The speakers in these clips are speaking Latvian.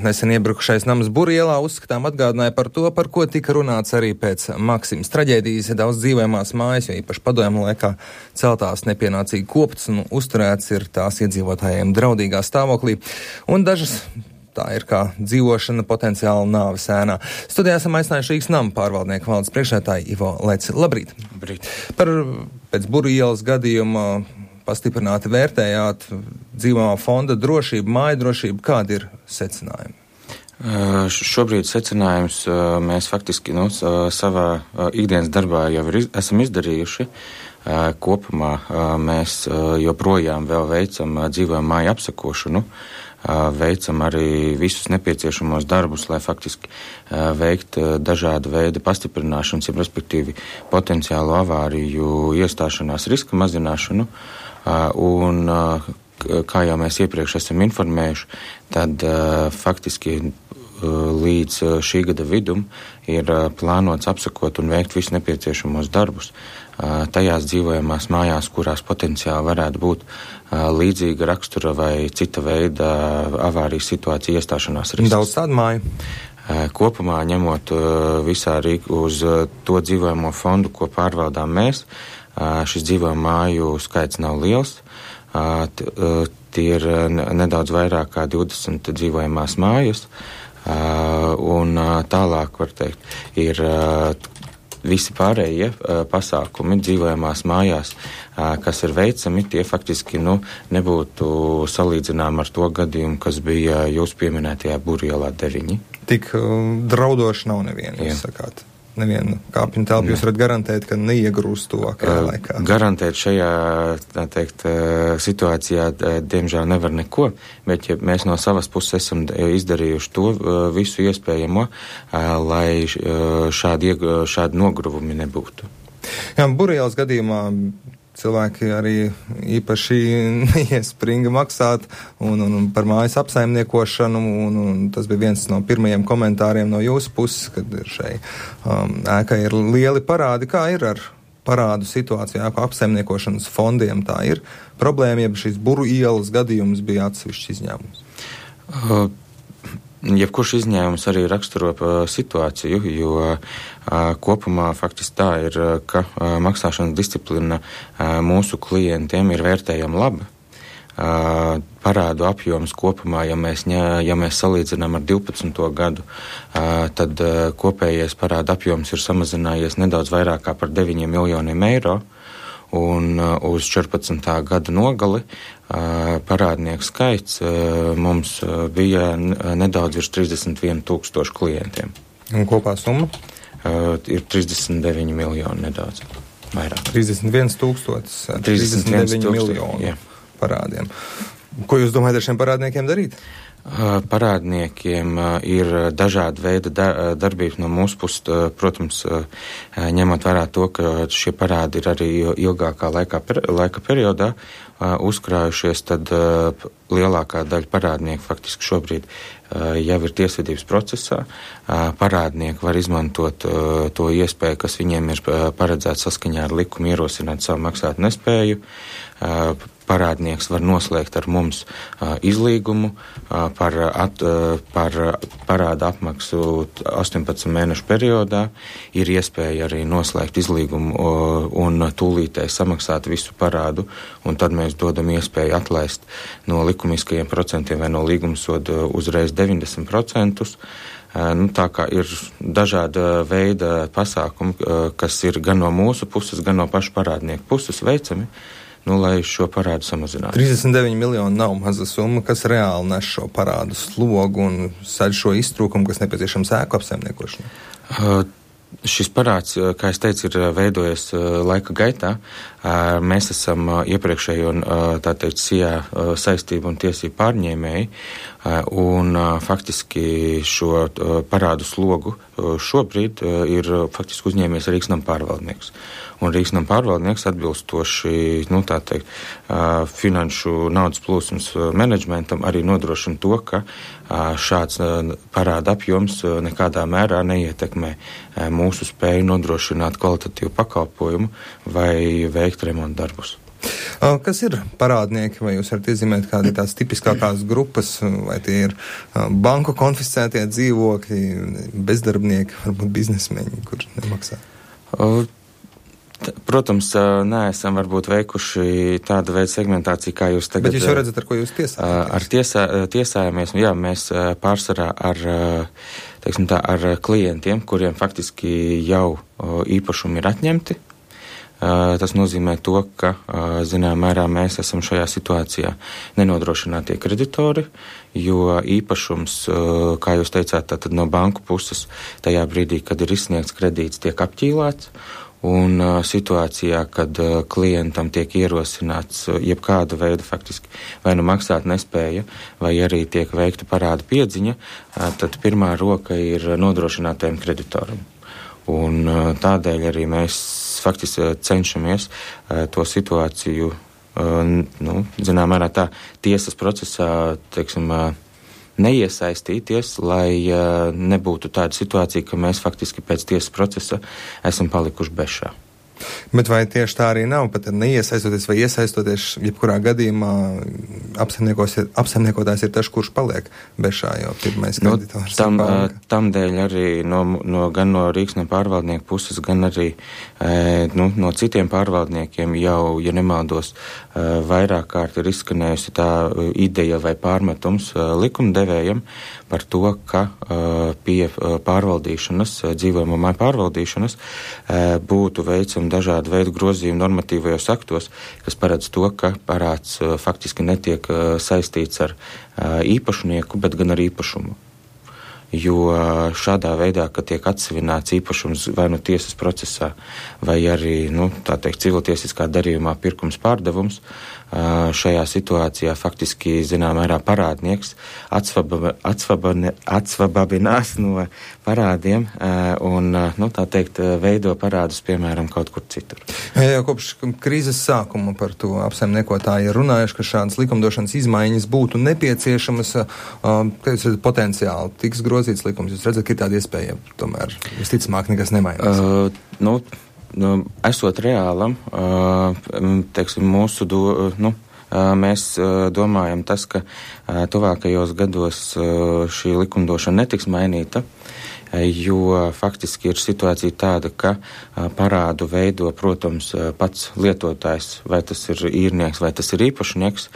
Nesen iebrukušais nams Burielā uzskatām atgādināja par to, par ko tika runāts arī pēc Maksimas traģēdijas. Daudz dzīvojamās mājas, jo īpaši padomju laikā celtās nepienācīgi koptas un uzturēts ir tās iedzīvotājiem draudīgā stāvoklī. Un dažas tā ir kā dzīvošana potenciāli nāves ēnā. Studijā esam aicinājuši Rīgas nama pārvaldnieku valdes priekšsēdētāju Ivo Leci. Labrīt! Labrīt! Pēc Burielas gadījuma pastiprināti vērtējāt dzīvojamā fonda drošību, māju drošību. Kādi ir secinājumi? Šobrīd secinājums mēs faktiski savā ikdienas darbā jau esam izdarījuši. Kopumā mēs joprojām vēl veicam dzīvojamā māju apsakošanu, veicam arī visus nepieciešamos darbus, lai faktiski veikt dažādu veidu pastiprināšanas, respektīvi potenciālu avāriju iestāšanās riska mazināšanu. Un, kā jau mēs iepriekš esam informējuši, tad faktiski līdz šī gada vidum ir plānots apsakot un veikt visus nepieciešamos darbus tajās dzīvojamās mājās, kurās potenciāli varētu būt līdzīga rakstura vai cita veida avārijas situācija iestāšanās risks. Daudz tādu māju? Kopumā ņemot visā Rīgu uz to dzīvojamo fondu, ko pārvaldām mēs, šis dzīvojamo māju skaits nav liels. Tie ir nedaudz vairāk kā 20 dzīvojamās mājas, un tālāk, var teikt, ir visi pārējie pasākumi dzīvojamās mājās, kas ir veicami, tie faktiski nebūtu salīdzinām ar to gadījumu, kas bija jūs pieminētajā Burielā 9. Tik draudoši nav neviena, jūs sakāt. Nevienu kāpņu telpu jūs varat garantēt, ka neiegrūst tuvākajā laikā? Garantēt šajā, tā teikt, situācijā, diemžēl nevar neko, bet ja mēs no savas puses esam izdarījuši to visu iespējamo, lai šādi nogruvumi nebūtu. Jā, Burielas gadījumā cilvēki arī īpaši neiespringa maksāt un par mājas apsaimniekošanu, un tas bija viens no pirmajiem komentāriem no jūsu puses, kad šai ēkai ir lieli parādi. Kā ir ar parādu situāciju ēku apsaimniekošanas fondiem? Tā ir problēma, ja šis Burielas gadījums bija atsevišķs izņēmums? Jebkurš izņēmums arī raksturo situāciju, jo kopumā faktiski tā ir, ka maksāšanas disciplina mūsu klientiem ir vērtējama laba. Parādu apjoms kopumā, ja mēs salīdzinām ar 12. gadu, tad kopējais parādu apjoms ir samazinājies nedaudz vairāk kā par 9 miljoniem eiro. Un uz 14. gada nogali parādnieku skaits mums bija nedaudz virs 31 000 klientiem. Un kopā summa? Ir 39 miljoni nedaudz vairāk. 31 miljoni parādiem. Ko jūs domājat ar šiem parādniekiem darīt? Parādniekiem ir dažādi veidi darbības no mūsu puses, protams, ņemot vērā to, ka šie parādi ir arī ilgākā laika periodā uzkrājušies, tad lielākā daļa parādnieku faktiski šobrīd jau ir tiesvedības procesā. Parādnieki var izmantot to iespēju, kas viņiem ir paredzēts saskaņā ar likumu, ierosināt savu maksāt nespēju. Parādnieks var noslēgt ar mums izlīgumu par parāda apmaksu 18 mēnešu periodā. Ir iespēja arī noslēgt izlīgumu un tūlītēji samaksāt visu parādu, un tad mēs dodam iespēju atlaist no likumiskajiem procentiem vai no līgumsoda uzreiz 90%. Tā kā ir dažāda veida pasākumi, kas ir gan no mūsu puses, gan no pašu parādnieku puses veicami, lai šo parādu samazinātu. 39 miljoni nav maza summa, kas reāli nes šo parādu slogu un sadz šo iztrūkumu, kas nepieciešams ēku apsaimniekošanai. Šis parāds, kā es teicu, ir veidojies laika gaitā. Mēs esam iepriekšējo, tā teikt, SIA saistību un tiesību pārņēmēji, un faktiski šo parādu slogu šobrīd ir faktiski uzņēmies Rīgas nama pārvaldnieks. Un Rīgas nama pārvaldnieks atbilstoši, tā teikt, finanšu naudas plūsmas menedžmentam arī nodrošina to, ka šāds parāda apjoms nekādā mērā neietekmē mūsu spēju nodrošināt kvalitatīvu pakalpojumu vai veikt remontu darbus. Kas ir parādnieki, vai jūs varat iezīmēt kādi tās tipiskākās grupas, vai tie ir banku konfiscētie dzīvokļi, bezdarbnieki, varbūt biznesmeņi, kur nemaksā? Protams, neesam varbūt veikuši tādu veidu segmentāciju, kā jūs tagad... Bet jūs jau redzat, ar ko jūs tiesājaties? Ar tiesājamies, jā, mēs pārsvarā ar klientiem, kuriem faktiski jau īpašumi ir atņemti. Tas nozīmē to, ka, zinām mērā, mēs esam šajā situācijā nenodrošinātie kreditori, jo īpašums, kā jūs teicāt, tātad no banku puses, tajā brīdī, kad ir izsniegts kredīts, tiek apķīlāts. Un situācijā, kad klientam tiek ierosināts jebkāda veida faktiski vai nu maksāt nespēja, vai arī tiek veikta parāda piedziņa, tad pirmā roka ir nodrošinātajam kreditoram. Un tādēļ arī mēs faktiski cenšamies to situāciju, zinām mērā tā tiesas procesā, teiksim, neiesaistīties, lai nebūtu tāda situācija, ka mēs faktiski pēc tiesas procesa esam palikuši bešā. Bet vai tieši tā arī nav, pat neiesaistoties vai iesaistoties, jebkurā gadījumā apsaimniekotājs ir tas, kurš paliek bešā, jo pirmais kreditors ir banka? Tam dēļ arī gan no Rīksnes pārvaldnieku puses, gan arī no citiem pārvaldniekiem jau, ja nemaldos, vairāk kārt ir izskanējusi tā ideja vai pārmetums likumdevējam par to, ka pie pārvaldīšanas, dzīvojamo māju pārvaldīšanas būtu veicami dažādu veidu grozījumi normatīvajos aktos, kas paredz to, ka parāds faktiski netiek saistīts ar īpašnieku, bet gan ar īpašumu. Jo šādā veidā, ka tiek atsevināts īpašums vai nu tiesas procesā, vai arī, tā teikt, civiltiesiskā darījumā pirkums pārdevums, šajā situācijā faktiski, zinām mērā, parādnieks atsvababinās no parādiem un, tā teikt, veido parādus, piemēram, kaut kur citur. Jā, kopš krīzes sākuma par to apsaimniekotāji ir runājuši, ka šādas likumdošanas izmaiņas būtu nepieciešamas, ka jūs redzat potenciāli tiks grozīts likums. Jūs redzat, ka ir tāda iespēja, tomēr visticamāk nekas nemainās. Esot reālam, teiksim, mēs domājam tas, ka tuvākajos gados šī likumdošana netiks mainīta, jo faktiski ir situācija tāda, ka parādu veido, protams, pats lietotājs, vai tas ir īrnieks, vai tas ir īpašnieks.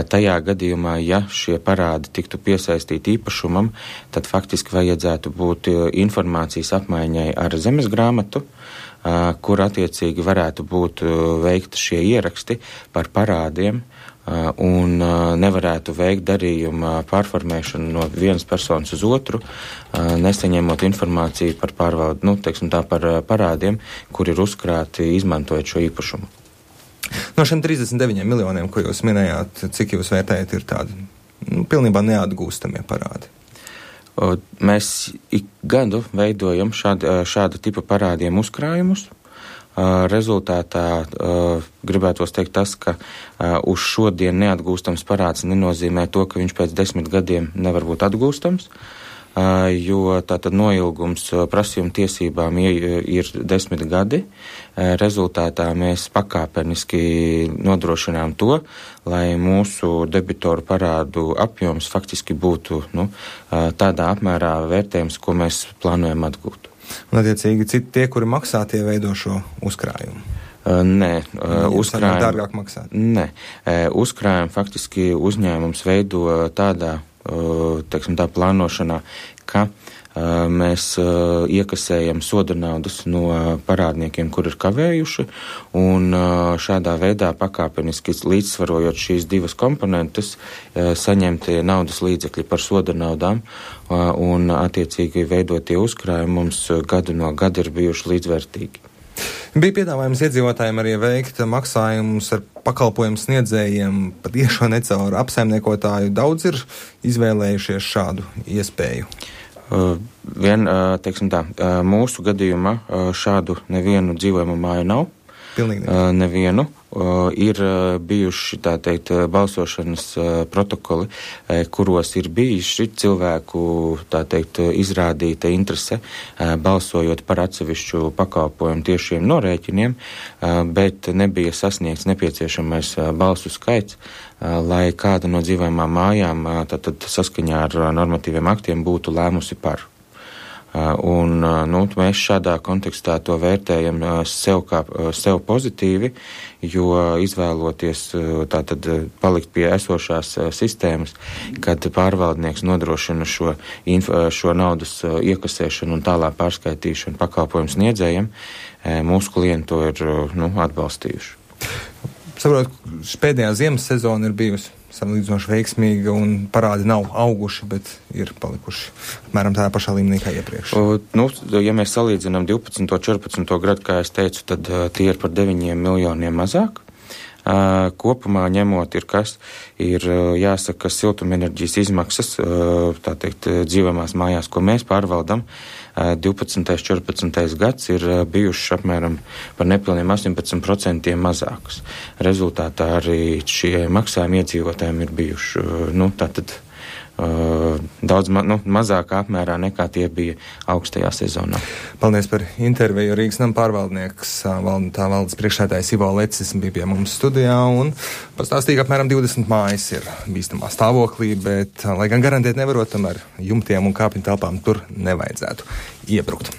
Tajā gadījumā, ja šie parādi tiktu piesaistīti īpašumam, tad faktiski vajadzētu būt informācijas apmaiņai ar zemes grāmatu, kur attiecīgi varētu būt veikti šie ieraksti par parādiem un nevarētu veikt darījumu pārformēšanu no vienas personas uz otru, nesaņemot informāciju par pārvaldu, par parādiem, kur ir uzkrāti izmantojot šo īpašumu. No šiem 39 miljoniem, ko jūs minējāt, cik jūs vērtējat, ir tādi pilnībā neatgūstamie parādi? Mēs ik gadu veidojam šāda tipa parādiem uzkrājumus. Rezultātā gribētos teikt tas, ka uz šodien neatgūstams parāds nenozīmē to, ka viņš pēc 10 gadiem nevar būt atgūstams, jo tātad noilgums prasījuma tiesībām ir 10 gadi. Rezultātā mēs pakāpeniski nodrošinām to, lai mūsu debitoru parādu apjoms faktiski būtu tādā apmērā vērtējums, ko mēs plānojam atgūt. Un attiecīgi tie, kuri maksā, tie veido šo uzkrājumu? Nē, uzkrājumu dārgāk maksāt? Nē, uzkrājumu faktiski uzņēmums veido tādā, teiksim tā, plānošanā, ka mēs iekasējam soda naudas no parādniekiem, kur ir kavējuši, un šādā veidā pakāpeniski līdzsvarojot šīs divas komponentes, saņemt naudas līdzekļi par soda naudām, un attiecīgi veidotie uzkrājumi mums gadu no gada ir bijuši līdzvērtīgi. Bija piedāvājums iedzīvotājiem arī veikt maksājumus ar pakalpojumu sniedzējiem pa tiešo necaur apsaimniekotāju. Daudz ir izvēlējušies šādu iespēju. Teiksim tā, mūsu gadījumā šādu nevienu dzīvojumu māju nav. Pilnīgi nevienu. ir bijuši, tā teikt, balsošanas protokoli, kuros ir bijuši cilvēku, tā teikt, izrādīta interese balsojot par atsevišķu pakalpojumu tiešiem norēķiniem, bet nebija sasniegts nepieciešamais balsu skaits, lai kāda no dzīvojamām mājām tātad saskaņā ar normatīviem aktiem būtu lēmusi par. Un mēs šādā kontekstā to vērtējam sev pozitīvi, jo izvēloties tātad palikt pie esošās sistēmas, kad pārvaldnieks nodrošina šo naudas iekasēšanu un tālāk pārskaitīšanu pakalpojumu sniedzējiem, mūsu klienti to ir atbalstījuši. Saprotu, pēdējā ziemas sezona ir bijusi salīdzinoši veiksmīga un parādi nav auguši, bet ir palikuši apmēram tādā pašā līmenī kā iepriekš. Ja mēs salīdzinām 12. 14. gadu, kā es teicu, tad tie ir par 9 miljoniem mazāk. Kopumā ņemot ir jāsaka, siltumenerģijas izmaksas, tā teikt, dzīvojamās mājās, ko mēs pārvaldam, 12. 14. gads ir bijuši apmēram par nepilniem 18% mazākas. Rezultātā arī šie maksājumi iedzīvotājiem ir bijuši, daudz mazākā apmērā nekā tie bija augstajā sezonā. Paldies par interviju. Rīgas nama pārvaldnieks, tā valdes priekšsēdājs Ivo Lecis bija pie mums studijā un pastāstīja, ka apmēram 20 mājas ir bīstamā stāvoklī, bet, lai gan garantēt nevarot, tomēr jumtiem un kāpņu telpām tur nevajadzētu iebrukt.